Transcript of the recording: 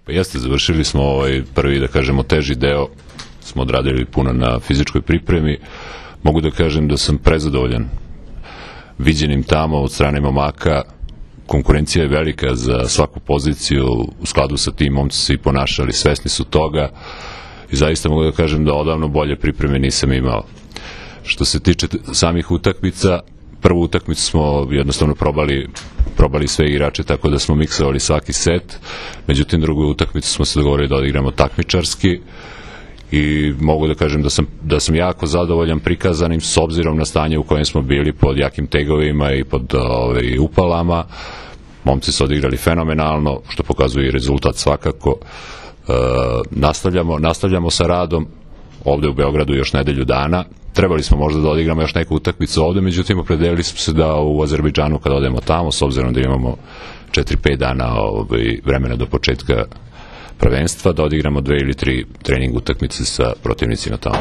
Pa jeste, završili smo prvi, da kažemo, teži deo, smo odradili puno na fizičkoj pripremi. Mogu da kažem da sam prezadovoljan viđenim tamo od strane momaka. Konkurencija je velika za svaku poziciju, u skladu sa tim momci se i ponašali, svesni su toga i zaista mogu da kažem da odavno bolje pripreme nisam imao. Što se tiče samih utakmica, prvu utakmicu smo jednostavno probali sve igrače, tako da smo miksovali svaki set. Međutim, drugu utakmicu smo se dogovorili da odigramo takmičarski i mogu da kažem da sam jako zadovoljan prikazanim s obzirom na stanje u kojem smo bili pod jakim tegovima i pod upalama. Momci su odigrali fenomenalno, što pokazuje i rezultat svakako. Nastavljamo sa radom ovde u Beogradu još nedelju dana. Trebali smo možda da odigramo još neku utakmicu ovde, međutim opredelili smo se da u Azerbejdžanu kada odemo tamo, s obzirom da imamo 4-5 dana vremena do početka prvenstva, da odigramo 2 ili 3 trening utakmice sa protivnicima tamo.